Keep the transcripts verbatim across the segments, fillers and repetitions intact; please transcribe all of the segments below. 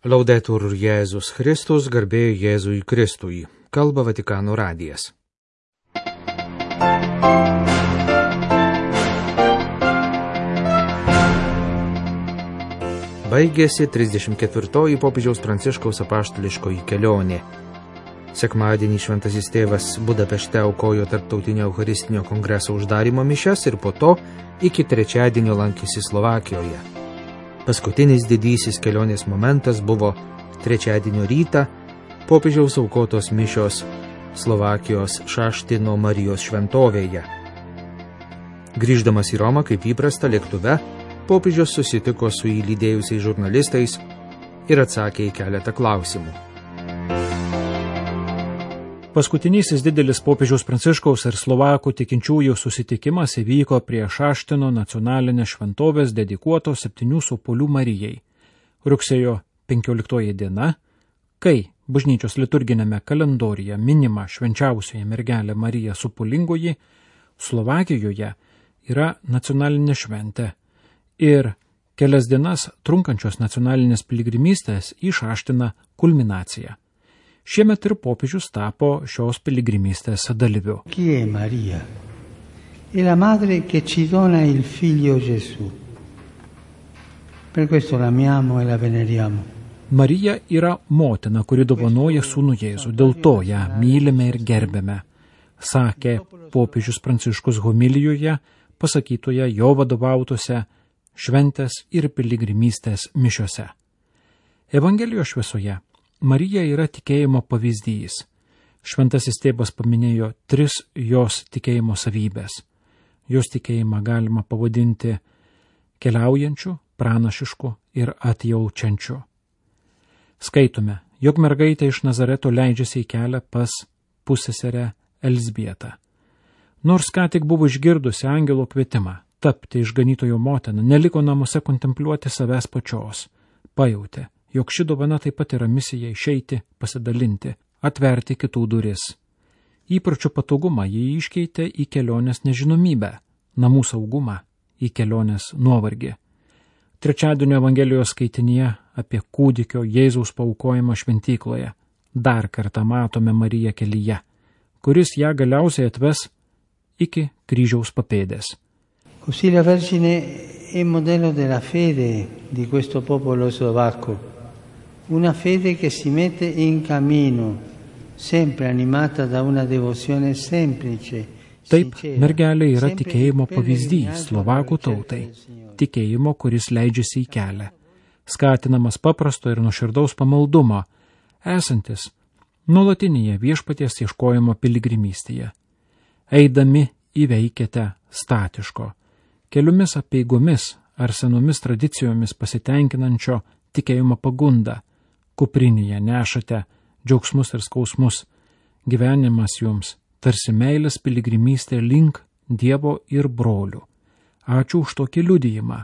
Laudetur Jėzus Kristus, garbė Jėzui Kristui. Kalba Vatikano radijas. Baigėsi trisdešimt ketvirtoji popiežiaus Pranciškaus apaštališkoji kelionė. Sekmadienį šventasis tėvas Budapešte aukojo tarptautinio eucharistinio kongreso uždarymo mišias ir po to iki trečiadienio lankėsi Slovakijoje. Paskutinis didysis kelionės momentas buvo trečiadienio rytą popiežiaus aukotos mišios Slovakijos Šaštino Marijos šventovėje. Grįždamas į Romą kaip įprasta lėktuve, popiežius susitiko su jį lydėjusiais žurnalistais ir atsakė į keletą klausimų. Paskutinysis didelis popiežiaus Pranciškaus ir Slovakų tikinčiųjų susitikimas įvyko prie Šaštino nacionalinės šventovės dedikuotos septynių sopolių Marijai. Rugsėjo penkioliktoji diena, kai bažnyčios liturginėme kalendoriuje minima švenčiausioji mergelė Marija Sopolingoji, Slovakijoje yra nacionalinė šventė ir kelias dienas trunkančios nacionalinės piligrimystės į Šaštiną kulminacija. Šiemet ir popiežius tapo šios piligrimystės dalyviu. Chi è Maria? È la madre che ci dona il figlio Gesù. Per questo l'amiamo e la veneriamo. Marija yra motina, kuri dovanoja sūnų Jėzų, dėl to ją mylime ir gerbėme, sakė popiežius Pranciškus homilijoje, pasakytoje jo vadovautose šventės ir piligrimystės mišiose. Evangelijos šviesoje Marija yra tikėjimo pavyzdys. Šventasis tėvas paminėjo tris jos tikėjimo savybės. Jos tikėjimą galima pavadinti keliaujančiu, pranašišku ir atjaučiančiu. Skaitome, jog mergaitė iš Nazareto leidžiasi į kelią pas pusseserę Elzbietą. Nors ką tik buvo išgirdusi angelo kvietimą tapti išganytojo motina, neliko namuose kontempliuoti savęs pačios. Pajautė, jog ši dovana taip pat yra misija išeiti, pasidalinti, atverti kitų duris. Įpročių patogumą jį iškeitė į kelionės nežinomybę, namų saugumą į kelionės nuovargį. Trečiadienio Evangelijos skaitinyje apie kūdikio Jėzaus paaukojimą šventykloje dar kartą matome Mariją kelyje, kuris ją galiausiai atves iki kryžiaus papėdės. Così la Vergine è modello della fede di questo popolo slovacco. Una fede che si mette in cammino, sempre animata da una devozione semplice. Taip, mergelė yra tikėjimo pavyzdys slovakų tautai, tikėjimo, kuris leidžiasi į kelią, skatinamas paprasto ir nuoširdaus pamaldumo, esantis nuolatinėje viešpaties ieškojimo piligrimystėje. Eidami įveikėte statiško, keliomis apeigomis ar senomis tradicijomis pasitenkinančio tikėjimo pagundą. Kuprinėje nešate džiaugsmus ir skausmus, gyvenimas jums tarsi meilės piligrimystė link Dievo ir brolių. Ačiū už tokį liudijimą.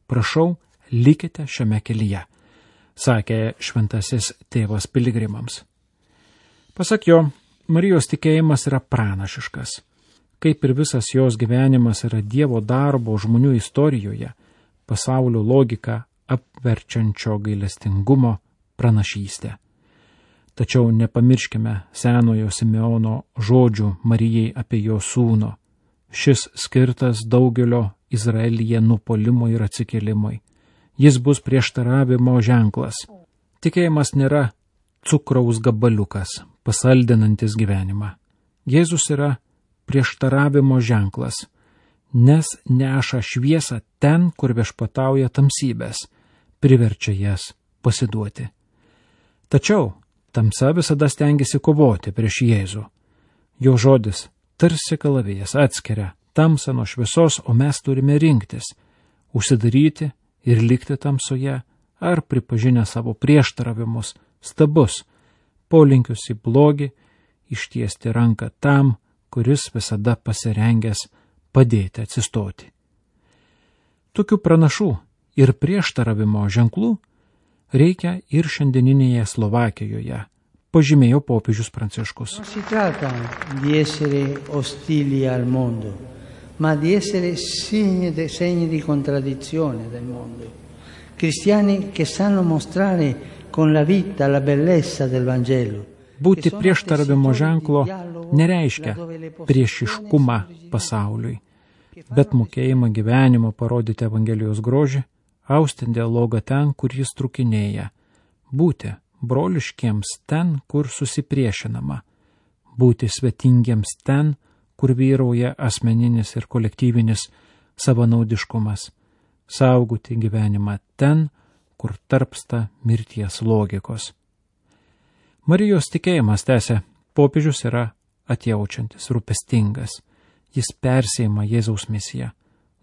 Prašau, likite šiame kelyje, sakė šventasis tėvas piligrimams. Pasak jo, Marijos tikėjimas yra pranašiškas. Kaip ir visas jos gyvenimas yra Dievo darbo žmonių istorijoje, pasaulio logiką apverčiančio gailestingumo pranašystę. Tačiau nepamirškime senojo Simeono žodžių Marijai apie jo sūnų. Šis skirtas daugelio Izraelyje nupolimui ir atsikėlimui. Jis bus prieštaravimo ženklas. Tikėjimas nėra cukraus gabaliukas, pasaldinantis gyvenimą. Jėzus yra prieštaravimo ženklas, nes neša šviesą ten, kur viešpatauja tamsybės, priverčia jas pasiduoti. Tačiau tamsa visada stengiasi kovoti prieš Jėzų. Jo žodis tarsi kalavijas atskiria tamsą nuo šviesos, o mes turime rinktis, užsidaryti ir likti tamsoje, ar pripažinę savo prieštaravimus, stabus, polinkius į blogį, ištiesti ranką tam, kuris visada pasirengęs padėti atsistoti. Tokių pranašų ir prieštaravimo ženklų reikia ir šiandieninėje Slovakijoje, pažymėjo popiežius Pranciškus. Non si tratta di essere ostili al mondo, ma di essere segni di contraddizione del mondo. Cristiani che sanno mostrare con la vita la bellezza del Vangelo. Būti prieštaravimo ženklo nereiškia priešiškumą pasauliui, bet mokėjimą gyvenimo parodyti Evangelijos grožį, austi dialogą ten, kur jis trukinėja, būti broliškiems ten, kur susipriešinama, būti svetingiems ten, kur vyrauja asmeninis ir kolektyvinis savanaudiškumas, saugoti gyvenimą ten, kur tarpsta mirties logikos. Marijos tikėjimas, tęsia popiežius, yra atjaučiantis, rūpestingas. Jis persėjama Jėzaus misiją.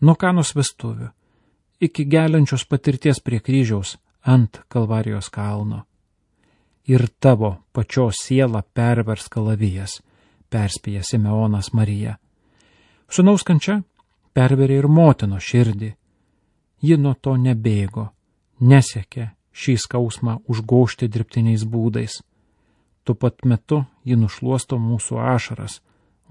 Nuo Kanos vestuvių iki geliančios patirties prie kryžiaus ant Kalvarijos kalno. Ir tavo pačios sielą pervers kalavijas, perspėja Simeonas Mariją. Sūnaus kančia perverė ir motino širdį. Ji nuo to nebėgo, nesiekė šį skausmą užgožti dirbtiniais būdais. Tuo pat metu ji nušluosto mūsų ašaras,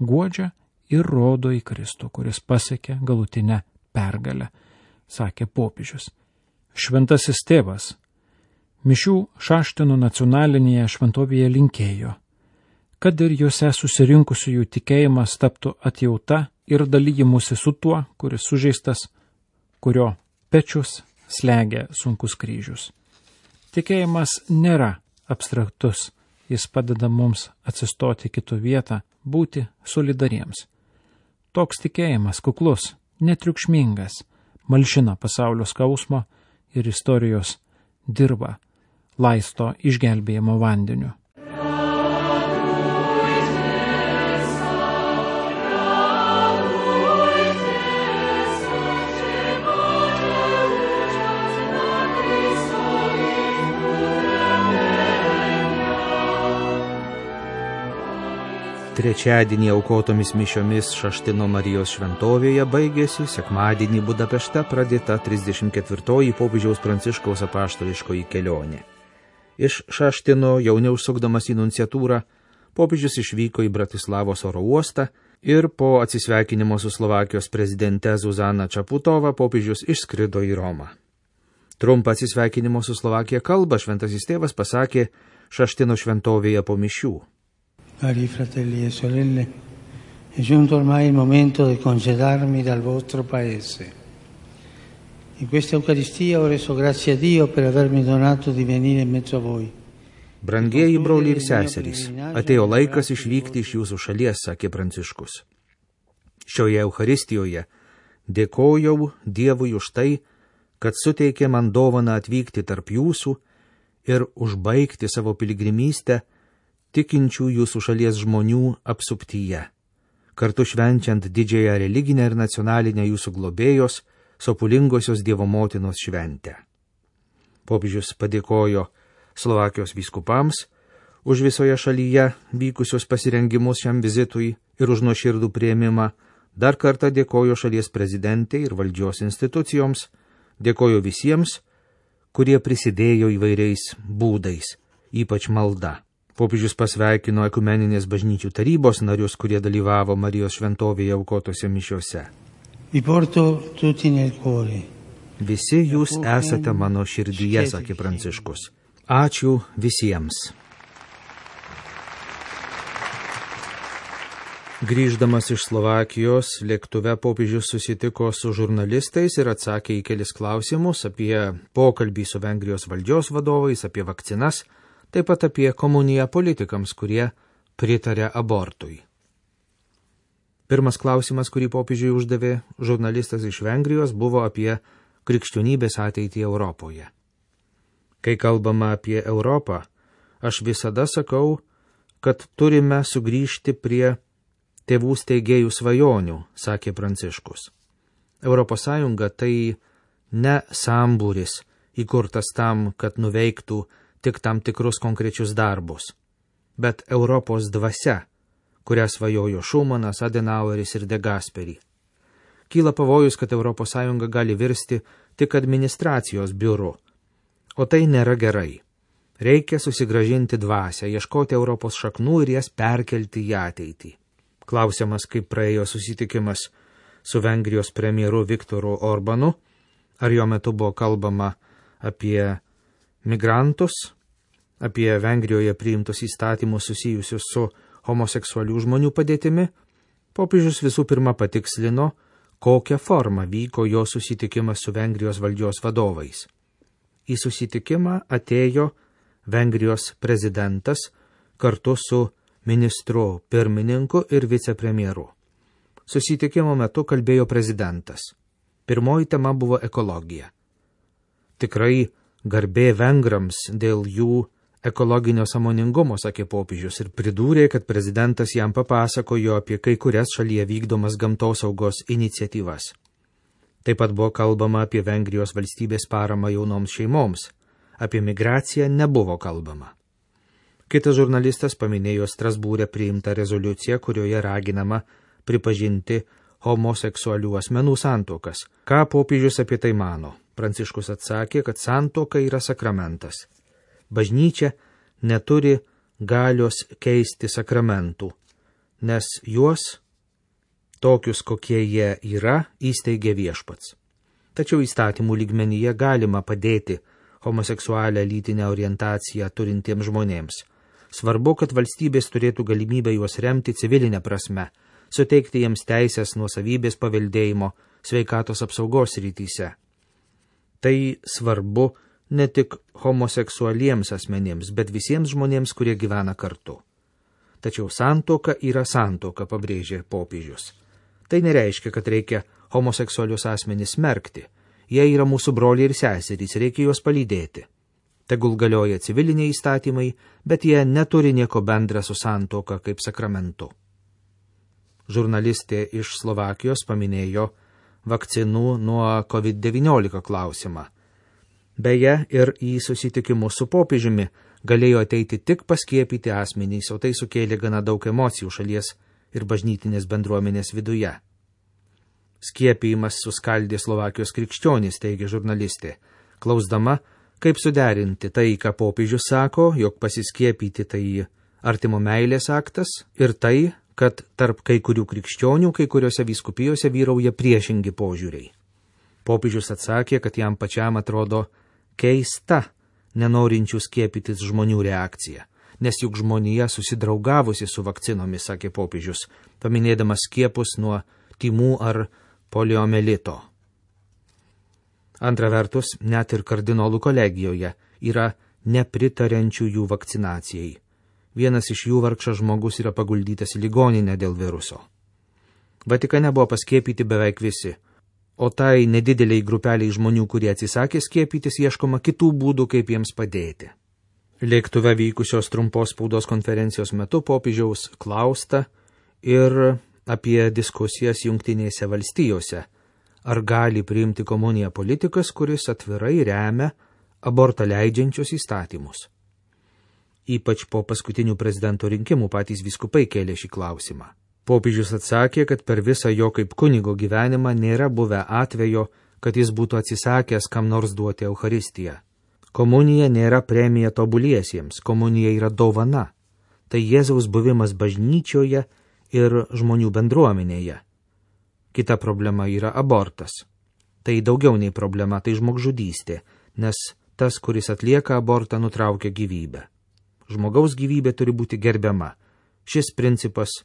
guodžia ir rodo į Kristų, kuris pasiekė galutinę pergalę, sakė popiežius. Šventasis tėvas mišių Šaštinų nacionalinėje šventovėje linkėjo, kad ir juose susirinkusiųjų tikėjimas taptų atjauta ir dalyjimusi su tuo, kuris sužeistas, kurio pečius slegia sunkus kryžius. Tikėjimas nėra abstraktus. Jis padeda mums atsistoti kitų vietą, būti solidariems. Toks tikėjimas kuklus, netriukšmingas, malšina pasaulio skausmo ir istorijos dirba, laisto išgelbėjimo vandeniu. Trečiadienį aukotomis mišiomis Šaštino Marijos šventovėje baigėsi sekmadienį Budapešte pradėta trisdešimt ketvirtoji popiežiaus Pranciškaus apaštališkoji kelionė. Iš Šaštino, jau neužsukdamas į nunciatūrą, popiežius išvyko į Bratislavos oro uostą ir po atsisveikinimo su Slovakijos prezidente Zuzana Čaputovą popiežius išskrido į Romą. Trumpą atsisveikinimo su Slovakija kalbą šventasis tėvas pasakė Šaštino šventovėje po mišių. Cari fratelli e sorelle, è giunto ormai il momento di congedarmi dal vostro paese. In questa Eucaristia ho reso grazie a Dio per avermi donato di venire in mezzo a voi. Brangieji broliai ir seserys, atėjo laikas išvykti iš jūsų šalies, sakė Pranciškus. Šioje Eucharistijoje dėkojau Dievui už tai, kad suteikė man dovaną atvykti tarp jūsų ir užbaigti savo piligrimystę tikinčių jūsų šalies žmonių apsuptyje, kartu švenčiant didžiąją religinę ir nacionalinę jūsų globėjos, sopulingosios Dievo motinos šventę. Popiežius padėkojo Slovakijos vyskupams už visoje šalyje vykusius pasirengimus šiam vizitui ir už nuoširdų priėmimą, dar kartą dėkojo šalies prezidentei ir valdžios institucijoms, dėkojo visiems, kurie prisidėjo įvairiais būdais, ypač malda. Popiežius pasveikino ekumeninės bažnyčių tarybos narius, kurie dalyvavo Marijos šventovėje aukotose mišiose. Visi jūs esate mano širdyje, sakė Pranciškus. Ačiū visiems. Grįždamas iš Slovakijos, lėktuve popiežius susitiko su žurnalistais ir atsakė į kelis klausimus apie pokalbį su Vengrijos valdžios vadovais, apie vakcinas, taip pat apie komuniją politikams, kurie pritarė abortui. Pirmas klausimas, kurį popiežiui uždavė žurnalistas iš Vengrijos, buvo apie krikščionybės ateitį Europoje. Kai kalbama apie Europą, aš visada sakau, kad turime sugrįžti prie tėvų steigėjų svajonių, sakė Pranciškus. Europos Sąjunga tai ne sambūris, įkurtas tam, kad nuveiktų tik tam tikrus konkrečius darbus, bet Europos dvasia, kurią svajojo Šumanas, Adenaueris ir De Gasperi. Kyla pavojus, kad Europos Sąjunga gali virsti tik administracijos biuru, o tai nėra gerai. Reikia susigrąžinti dvasią, ieškoti Europos šaknų ir jas perkelti į ateitį. Klausiamas, kaip praėjo susitikimas su Vengrijos premjeru Viktoru Orbanu, ar jo metu buvo kalbama apie migrantus, apie Vengrijoje priimtus įstatymus susijusius su homoseksualių žmonių padėtimi, popiežius visų pirma patikslino, kokią formą vyko jo susitikimas su Vengrijos valdžios vadovais. Į susitikimą atėjo Vengrijos prezidentas kartu su ministru pirmininku ir vicepremjeru. Susitikimo metu kalbėjo prezidentas. Pirmoji tema buvo ekologija. Tikrai garbė vengrams dėl jų ekologinio sąmoningumo, sakė popiežius, ir pridūrė, kad prezidentas jam papasakojo apie kai kurias šalyje vykdomas gamtosaugos iniciatyvas. Taip pat buvo kalbama apie Vengrijos valstybės paramą jaunoms šeimoms, apie migraciją nebuvo kalbama. Kitas žurnalistas paminėjo Strasbūre priimtą rezoliuciją, kurioje raginama pripažinti homoseksualių asmenų santuokas. Ką popiežius apie tai mano? Pranciškus atsakė, kad santuoka yra sakramentas. Bažnyčia neturi galios keisti sakramentų, nes juos, tokius kokie jie yra, įsteigė viešpats. Tačiau įstatymų lygmenyje galima padėti homoseksualią lytinę orientaciją turintiems žmonėms. Svarbu, kad valstybės turėtų galimybę juos remti civilinę prasme, suteikti jiems teisės nuosavybės paveldėjimo, sveikatos apsaugos rytyse. Tai svarbu ne tik homoseksualiems asmenėms, bet visiems žmonėms, kurie gyvena kartu. Tačiau santuoka yra santuoka, pabrėžė popiežius. Tai nereiškia, kad reikia homoseksualius asmenys smerkti. Jie yra mūsų broliai ir seserys, reikia juos palydėti. Tegul galioja civiliniai įstatymai, bet jie neturi nieko bendra su santuoka kaip sakramentu. Žurnalistė iš Slovakijos paminėjo vakcinų nuo kovid devyniolika klausimą. Beje, ir į susitikimus su popiežiumi galėjo ateiti tik paskiepyti asmenys, o tai sukėlė gana daug emocijų šalies ir bažnytinės bendruomenės viduje. Skiepijimas suskaldė Slovakijos krikščionys, teigia žurnalistė, klausdama, kaip suderinti tai, ką popiežius sako, jog pasiskiepyti tai artimo meilės aktas, ir tai, kad tarp kai kurių krikščionių, kai kuriuose vyskupijose vyrauja priešingi požiūriai. Popiežius atsakė, kad jam pačiam atrodo keista nenorinčių skiepytis žmonių reakcija, nes juk žmonija susidraugavusi su vakcinomis, sakė popiežius, paminėdamas skiepus nuo tymų ar poliomelito. Antra vertus, net ir kardinolų kolegijoje yra nepritariančių jų vakcinacijai. Vienas iš jų vargšas žmogus yra paguldytas į ligoninę dėl viruso. Vatikane buvo paskiepyti beveik visi, o tai nedideliai grupeliai žmonių, kurie atsisakė skiepytis, ieškoma kitų būdų, kaip jiems padėti. Lėktuve vykusios trumpos spaudos konferencijos metu popiežiaus klausta ir apie diskusijas Jungtinėse valstijose. Ar gali priimti komuniją politikas, kuris atvirai remia abortą leidžiančius įstatymus? Ypač po paskutinių prezidento rinkimų patys vyskupai kėlė šį klausimą. Popiežius atsakė, kad per visą jo kaip kunigo gyvenimą nėra buvę atvejo, kad jis būtų atsisakęs kam nors duoti Eucharistiją. Komunija nėra premija tobuliesiems, komunija yra dovana. Tai Jėzaus buvimas bažnyčioje ir žmonių bendruomenėje. Kita problema yra abortas. Tai daugiau nei problema, tai žmogžudystė, nes tas, kuris atlieka abortą, nutraukia gyvybę. Žmogaus gyvybė turi būti gerbiama. Šis principas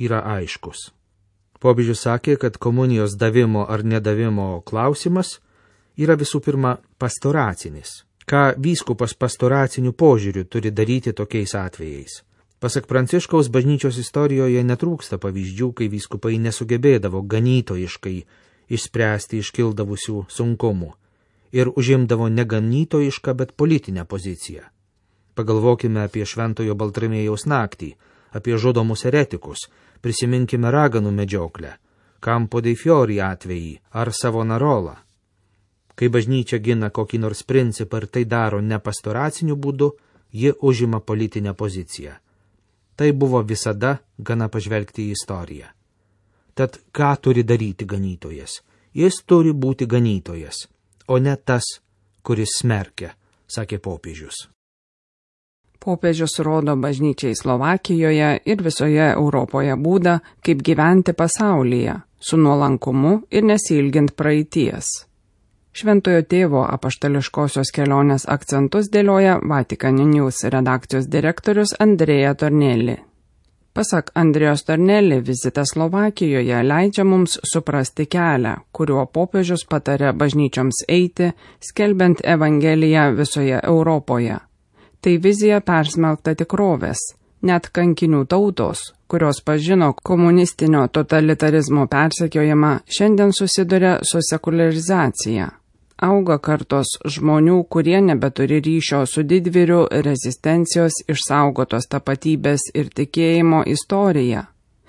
yra aiškus. Popiežius sakė, kad komunijos davimo ar nedavimo klausimas yra visų pirma pastoracinis. Ką vyskupas pastoraciniu požiūriu turi daryti tokiais atvejais? Pasak Pranciškaus, bažnyčios istorijoje netrūksta pavyzdžių, kai vyskupai nesugebėdavo ganytojiškai išspręsti iškildavusių sunkumų ir užimdavo ne ganytojišką, bet politinę poziciją. Pagalvokime apie Šventojo Baltramiejaus naktį, apie žudomus eretikus, prisiminkime raganų medžioklę, Campo dei Fiori atvejį ar Savonarolą. Kai bažnyčia gina kokį nors principą ir tai daro ne pastoraciniu būdu, ji užima politinę poziciją. Tai buvo visada gana pažvelgti į istoriją. Tad ką turi daryti ganytojas? Jis turi būti ganytojas, o ne tas, kuris smerkia, sakė popiežius. Popiežius rodo bažnyčiai Slovakijoje ir visoje Europoje būdą, kaip gyventi pasaulyje, su nuolankumu ir nesilgint praeities. Šventojo tėvo apaštališkosios kelionės akcentus dėlioja Vatican News redakcijos direktorius Andrea Tornelli. Pasak Andrejos Tornelli, vizitas Slovakijoje leidžia mums suprasti kelią, kuriuo popiežius patarė bažnyčioms eiti, skelbiant Evangeliją visoje Europoje. Tai vizija persmelkta tikrovės. Net kankinių tautos, kurios pažino komunistinio totalitarizmo persekiojimą, šiandien susiduria su sekularizacija. Auga kartos žmonių, kurie nebeturi ryšio su didvyrių rezistencijos, išsaugotos tapatybės ir tikėjimo istorija.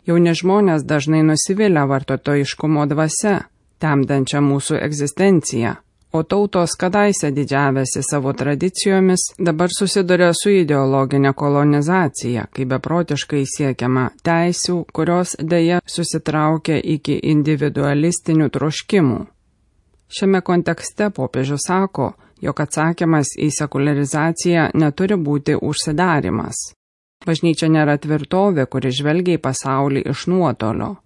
Jauni žmonės dažnai nusivilia vartotojiškumo dvasia, temdančia mūsų egzistenciją, o tautos kadaise didžiavėsi savo tradicijomis, dabar susiduria su ideologinė kolonizacija, kai beprotiškai siekiama teisių, kurios dėja susitraukia iki individualistinių troškimų. Šiame kontekste popiežius sako, jog atsakymas į sekularizaciją neturi būti užsidarimas. Bažnyčia nėra tvirtovė, kuri žvelgia į pasaulį iš nuotolio.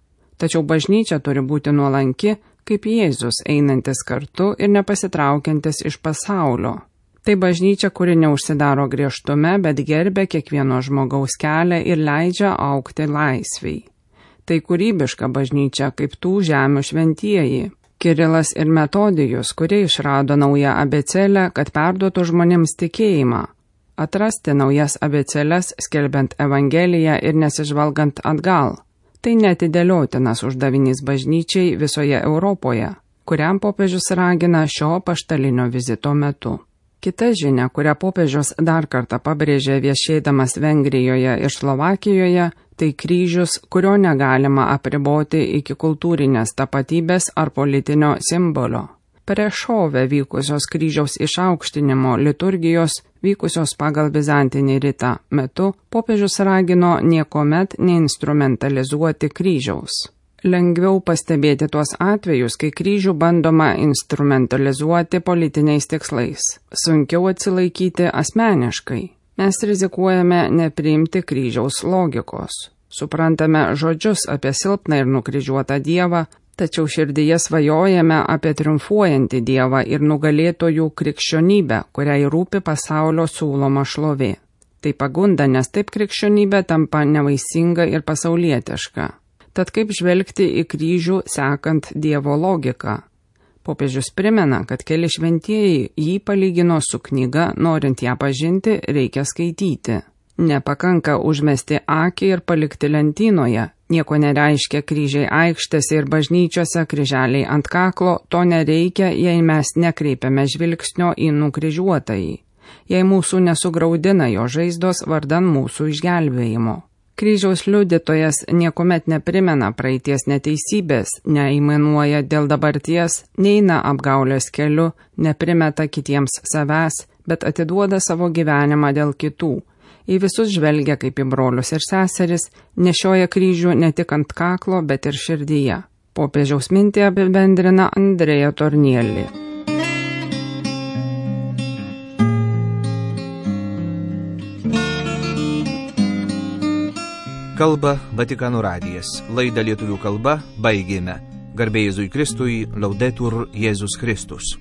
Tačiau bažnyčia turi būti nuolanki, kaip Jėzus einantis kartu ir nepasitraukiantis iš pasaulio. Tai bažnyčia, kuri neužsidaro griežtume, bet gerbia kiekvieno žmogaus kelią ir leidžia augti laisviai. Tai kūrybiška bažnyčia, kaip tų žemių šventieji. Kirilas ir Metodijus, kurie išrado naują abėcėlę, kad perduotų žmonėms tikėjimą. Atrasti naujas abėcėles, skelbiant Evangeliją ir nesižvalgant atgal. Tai neatidėliotinas uždavinys bažnyčiai visoje Europoje, kuriam popiežius ragina šio apaštalinio vizito metu. Kita žinia, kurią popiežius dar kartą pabrėžė viešėdamas Vengrijoje ir Slovakijoje, tai kryžius, kurio negalima apriboti iki kultūrinės tapatybės ar politinio simbolio. Prešove vykusios kryžiaus išaukštinimo liturgijos, vykusios pagal bizantinį ritą metu, popiežius ragino niekuomet neinstrumentalizuoti kryžiaus. Lengviau pastebėti tuos atvejus, kai kryžių bandoma instrumentalizuoti politiniais tikslais. Sunkiau atsilaikyti asmeniškai. Mes rizikuojame nepriimti kryžiaus logikos. Suprantame žodžius apie silpną ir nukryžiuotą Dievą, tačiau širdyje svajojame apie triumfuojantį Dievą ir nugalėtojų krikščionybę, kuriai rūpi pasaulio siūloma šlovė. Tai pagunda, nes taip krikščionybė tampa nevaisinga ir pasaulietiška. Tad kaip žvelgti į kryžių sekant Dievo logiką? Popiežius primena, kad keli šventieji jį palygino su knyga, norint ją pažinti, reikia skaityti. Nepakanka užmesti akį ir palikti lentynoje. Nieko nereiškia kryžiai aikštėse ir bažnyčiose, kryželiai ant kaklo, to nereikia, jei mes nekreipiame žvilgsnio į nukryžiuotąjį, jei mūsų nesugraudina jo žaizdos vardan mūsų išgelbėjimo. Kryžiaus liudytojas niekuomet neprimena praeities neteisybės, neįmainuoja dėl dabarties, neina apgaulės keliu, neprimeta kitiems savęs, bet atiduoda savo gyvenimą dėl kitų. Į visus žvelgia kaip į brolius ir seseris, nešioja kryžių ne tik ant kaklo, bet ir širdyje. Popiežiaus mintį apibendrina Andrea Tornelli. Kalba Vatikano radijas. Laidą lietuvių kalba baigėme. Garbė Jėzui Kristui, Laudetur Jėzus Kristus.